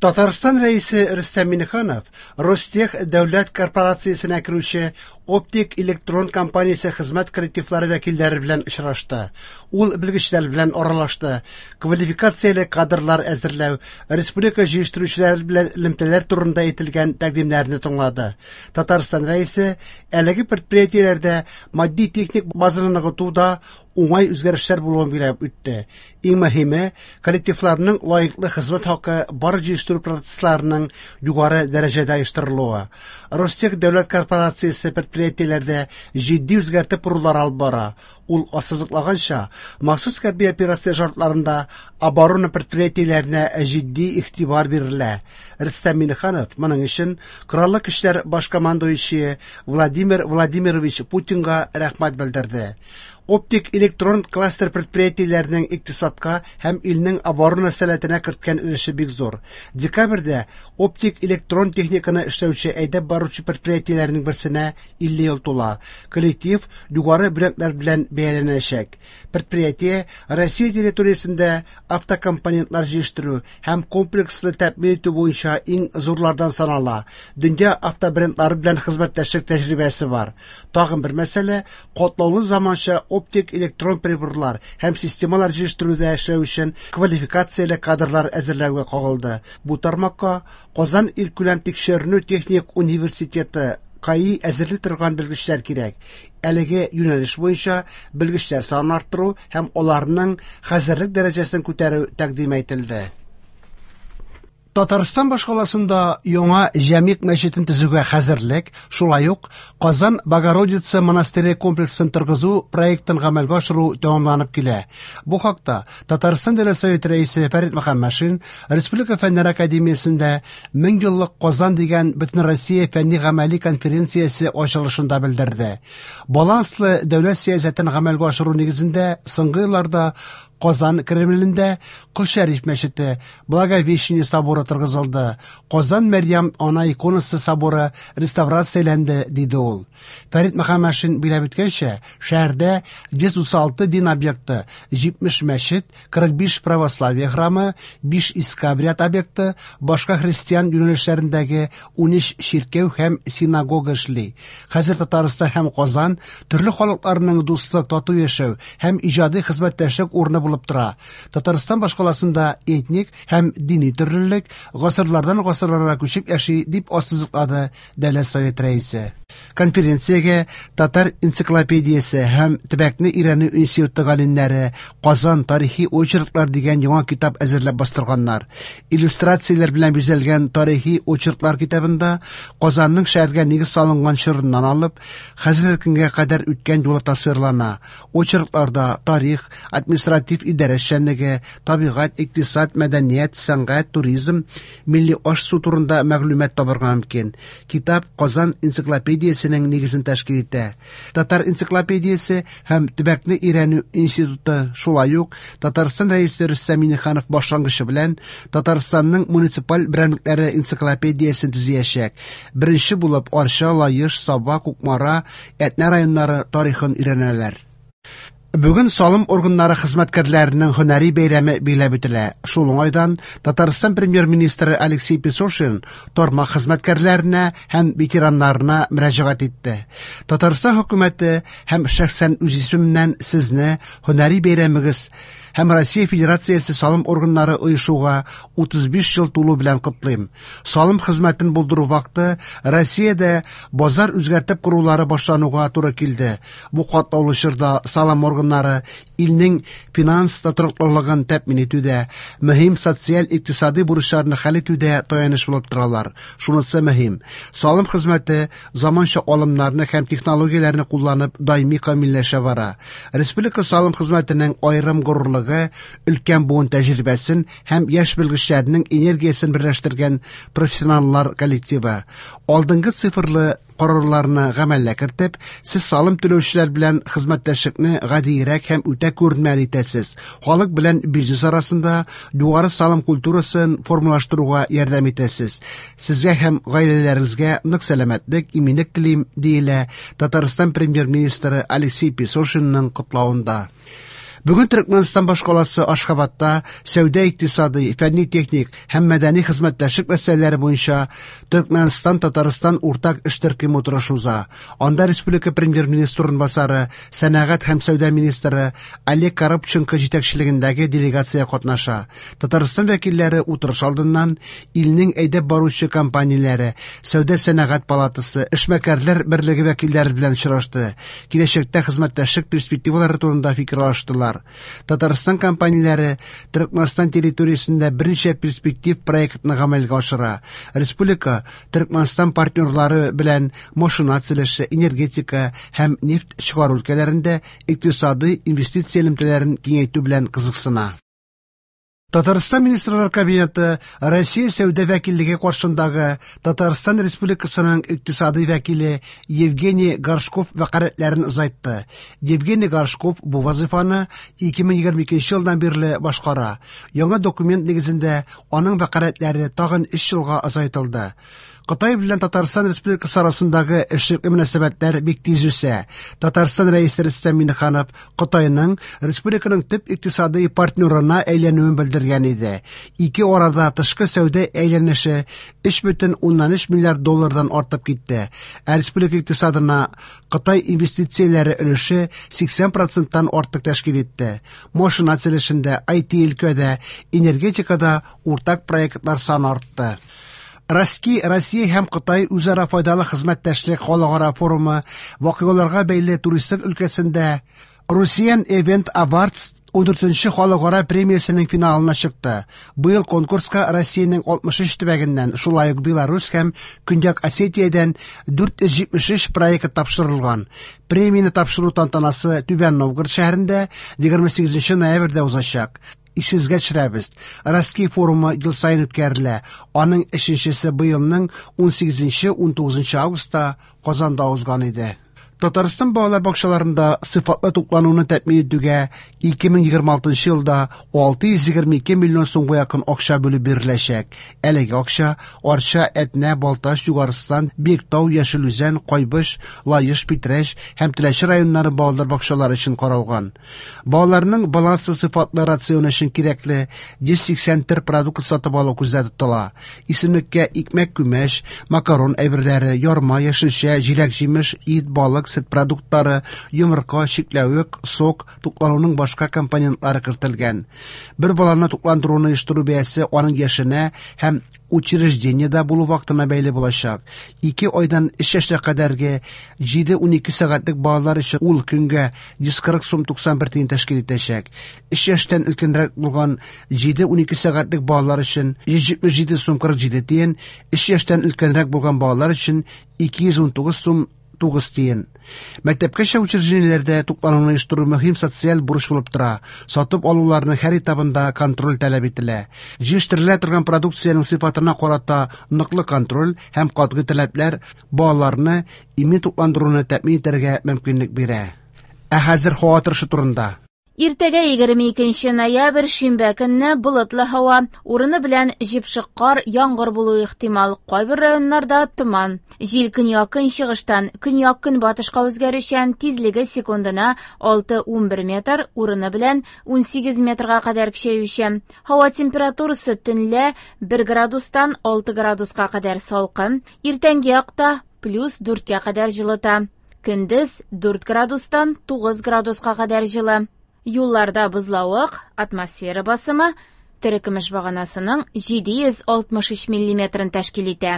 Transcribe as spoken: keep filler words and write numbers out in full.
Татарстан Рәисе Рөстәм Миңнеханов Ростех дәүләт корпорациясенә керүче Оптик электрон компаниясе хезмәт коллективлары вәкилләре белән очрашты. Ул белгечләр белән аралашты, квалификацияле кадрлар әзерләү, республика җитештерүчеләре белән элемтәләр турында әйтелгән тәкъдимнәрне тыңлады. Татарстан Рәисе әлеге предприятиеләрдә матди-техник базаны ныгытуда уңай үзгәрешләр булуын билгеләп үтте. Иң мөһиме, коллективларның лаеклы хезмәт хакы бар җитештерү процессларының югары дәрәҗәдә оештырылуы. Ростех дәүләт корпорациясе предприятиеләрдә җитди үзгәртеп корулар алып бара. Ул ассызыклаганча, махсус хәрби операция шартларында оборона предприятиеләренә җитди игътибар бирелә. Рөстәм Миңнеханов моның өчен Кораллы Көчләр баш командующие Владимир Владимирович Путинга рәхмәт белдерде. Оптик электрон кластер предприятиеләренең икътисадка һәм илнең оборона сәләтенә керткән өлеше бик зур. Декабрьдә оптик электрон техниканы эшләүче әйдәп баручы предприятиеләрнең берсенә илле ел тула. Коллектив югары бүләкләр белән бәяләнәчәк. Предприятие Россия территориясендә автокомпонентлар җитештерү һәм комплекслы тәэмин итү буенча иң зурлардан санала. Дөнья автобрендлары белән хезмәттәшлек тәҗрибәсе бар. Тагын бер мәсьәлә катлаулы заманча оптик электрон приборлар һәм системалар җитештерүдә эшләү өчен квалификацияле кадрлар әзерләүгә кагылды. Бу тармакка Казан илкүләм тикшеренү техник университеты КАИ әзерли торган белгечләр кирәк. Әлеге юнәлеш буенча белгечләр санын арттыру һәм аларның хәзерлек дәрәҗәсен күтәрү тәкъдим ителде. Татарстан башкаласында яңа Җәмигъ мәчетен төзүгә хәзерлек, шулай ук Казан Богородица монастыре комплексын торгызу проектын гамәлгә ашыру тәмамланып килә. Бу хакта Татарстан Дәүләт Советы рәисе Фәрит Мөхәммәтшин Республика Фәннәр академиясендә Мең еллык Казан дигән Бөтенроссия фәнни-гамәли конференциясе ачылышында белдерде. Баланслы дәүләт сәясәтен гамәлгә ашыру нигезендә соңгы елларда Казан Кремлендә Кол Шәриф мәчете, Благовещение соборы торгызылды. Казан Мәрьям ана иконасы соборы реставрацияләнде, диде ул. Фәрит Мөхәммәтшин билгеләп үткәнчә, шәһәрдә йөз утыз алты дин объекты, җитмеш мәчет, кырык биш православие храмы, биш иске обряд объекты, башка христиан юнәлешләрендәге унөч чиркәү һәм синагога эшли. Хәзер Татарстан һәм Казан төрле халыкларның дуслык, тату яшәү һәм иҗади хезмәттәшлек урыны булып тора. Татарстан башкаласында этник һәм дини төрлелек гасырлардан гасырларга күчеп яши, дип ассызыклады Дәүләт Советы рәисе. Конференциягә Татар энциклопедиясе һәм төбәкне өйрәнү институты галимнәре Казан тарихи очерклар дигән яңа китап әзерләп бастырганнар. Иллюстрацияләр белән бизәлгән тарихи очерклар китабында Казанның шәһәргә нигез салынган чорыннан алып хәзерге көнгә кадәр үткән юлы тасвирлана. Очеркларда тарих, административ идарә эшчәнлеге, табигать, икътисад, мәдәният, сәнгать, туризм, милли аш-су турында мәгълүмат табырга мөмкин. Китап Казан энциклопедиясенең нигезен тәшкил итә. Татар энциклопедиясе һәм төбәкне өйрәнү институты шулай ук Татарстан рәисе Рөстәм Миңнеханов башлангычы белән Татарстанның муниципаль берәмлекләре энциклопедиясен төзиячәк. Беренче булып Арча, Лаеш, Саба, Кукмара, Әтнә районнары тарихын өйрәнәләр. Бүген салым органнары хезмәткәрләренең һөнәри бәйрәме билгеләп үтелә. Шул уңайдан Татарстан премьер-министры Алексей Песошин тармак хезмәткәрләренә һәм ветераннарына мөрәҗәгать итте. Татарстан хөкүмәте һәм шәхсән үз исемемнән сезне һөнәри бәйрәмегез һәм Россия Федерациясе салым органнары оешуга утыз биш ел тулу белән котлыйм. Салым хезмәтен булдыру вакыты Россиядә базар үзгәртеп корулары башлануга туры килде. Бу катлаулы чорда салым органнары илнең финанс тотрыклылыгын тәэмин итүдә, мөһим социаль-икътисади бурычларны хәл итүдә таяныч булып торалар. Шунысы мөһим: салым хезмәте заманча алымнарны һәм технологияләрне кулланып даими камилләшә бара. Республика салым хезмәтенең аерым горурлыгы өлкән буын тәҗрибәсен һәм яшь белгечләрнең энергиясен берләштергән профессионаллар коллективы. Алдынгы цифрлы карарларны гамәлгә кертеп, сез салым түләүчеләр белән хезмәттәшлекне гадиерәк һәм үтә күренмәле итәсез. Халык белән бизнес арасында югары салым культурасын формалаштыруга ярдәм итәсез. Сезгә һәм гаиләләрегезгә нык сәламәтлек, иминлек телим, диелә Татарстан премьер-министры Алексей Песошинның котлавында. Бүген Төркмәнстан башкаласы Ашхабадта сәүдә-икътисади, фәнни-техник һәм мәдәни хезмәттәшлек мәсьәләләре буенча Төркмәнстан-Татарстан уртак эш төркеме утырышы уза. Анда республика премьер-министры урынбасары, сәнәгать һәм сәүдә министры Олег Коробченко җитәкчелегендәге делегация катнаша. Татарстан вәкилләре утырыш алдыннан илнең әйдәп баручы компанияләре, сәүдә-сәнәгать палатасы, эшмәкәрләр берлеге вәкилләре белән очрашты. Киләчәктә хезмәттәшлек перспективалары турында фикер алыштылар. Татарстан компанияләре Төркмәнстан территориясендә берничә перспектив проектны гамәлгә ашыра. Республика Төркмәнстан партнерлары белән машина төзелеше, энергетика һәм нефть чыгару өлкәләрендә икътисади инвестиция элемтәләрен киңәйтү белән кызыксына. Татарстан Министрлар Кабинеты Россия сәүдә вәкиллеге каршындагы Татарстан Республикасының икътисади вәкиле Евгений Горшков вәкаләтләрен озайтты. Евгений Горшков бу вазифаны ике мең егерме икенче елдан бирле башкара. Яңа документ нигезендә аның вәкаләтләре тагын өч елга озайтылды. Кытай белән Татарстан Республикасы арасындагы эшлекле мөнәсәбәтләр бик тиз үсә. Татарстан Рәисе Рөстәм Миңнеханов Кытайның республиканың төп икътисади партнерына әйләнүен белдергән иде. Ике арада тышкы сәүдә әйләнеше өч бөтен уннан өч миллиард доллардан артып китте. Ә республика икътисадына Кытай инвестицияләре өлеше сиксән проценттан артык тәшкил итте. Машина төзелешендә, ай ти өлкәдә, энергетикада уртак проектлар саны артты. Россия, Россия һәм Кытай үзара файдалы хезмәттәшлек халыкара форумы вакыйгаларга бәйле туристлык өлкәсендә Russian Event Awards ундүртенче халыкара премиясенең финалына чыкты. Быел конкурска Россиянең алтмыш өч төбәгеннән, шулай ук Беларусь һәм Көньяк Осетиядән дүрт йөз җитмеш өч проект тапшырылган. Премияне тапшыру тантанасы Түбән Новгород шәһәрендә егерме сигезенче ноябрьдә узачак. Исегезгә төшерәбез. Россия форумы ел саен үткәрелә. Аның өченчесе быелның унсигезенче, унтугызынчы августта Казанда узган иде. Татарстан балалар бакчаларында сыйфатлы туклануны тәэмин итүгә ике мең егерме алтынчы елда алты йөз егерме ике миллион сумга якын акча бүлеп биреләчәк. Әлеге акча Арча, Әтнә, Балтач, Югарыстан, Биектау, Яшел Үзән, Кайбыч, Лаеш, Питрәч һәм Теләче районнары балалар бакчалары өчен каралган. Балаларның баланслы сыйфатлы рационы өчен кирәкле йөз сиксән төр продукт сатып алу күздә тотыла. Исемлеккә икмәк, күмәч, макарон әйберләре, ярма, яшелчә, җиләк-җимеш, ит, балык, сөт продуктлары, йомырка, чикләвек, сок, туклануның башка компонентлары кертелгән. Бер баланы тукландыруны оештыру бәясе аның яшенә һәм учреждениедә булу вакытына бәйле булачак. Ике айдан өч яшькә кадәрге җиде унике сәгатьлек балалар өчен ул көнгә йөз кырык сум туксан бер тиен тәшкил итәчәк. Өч яшьтән өлкәнрәк булган җиде унике сәгатьлек балалар өчен йөз җитмеш җиде сум кырык җиде тиен, өч яшьтән өлкәнрәк булган балалар өчен ике йөз унтугыз сум тугыз тиен. Мәктәпкәчә учреждениеләрдә туклануны оештыру мөһим социаль бурыч булып тора. Сатып алуларның һәр этабында контроль таләп ителә. Җитештерелә торган продукциянең сыйфатына карата ныклы контроль һәм катгый таләпләр балаларны имин тукландыруны тәэмин итәргә мөмкинлек бирә. Ә хәзер һава торышы турында. Иртәгә егерме икенче ноябрь шимбә көнне болытлы һава, урыны белән җепшек кар, яңгыр булуы ихтимал. Кайбер районнарда томан. Җил көньяк-көнчыгыштан көньяк-көнбатышка үзгәрүчән, тизлеге секундына алты унбер метр, урыны белән унсигез метрга кадәр көчәючән. Һава температурасы төнлә бер градустан алты градуска кадәр салкын, иртәнге якта плюс дүрткә кадәр җылыта. Көндез дүрт градустан тугыз градуска кадәр җылы. Юлларда бозлавык, атмосфера басымы терекөмеш баганасының җиде йөз алтмыш өч миллиметрын тәшкил итә.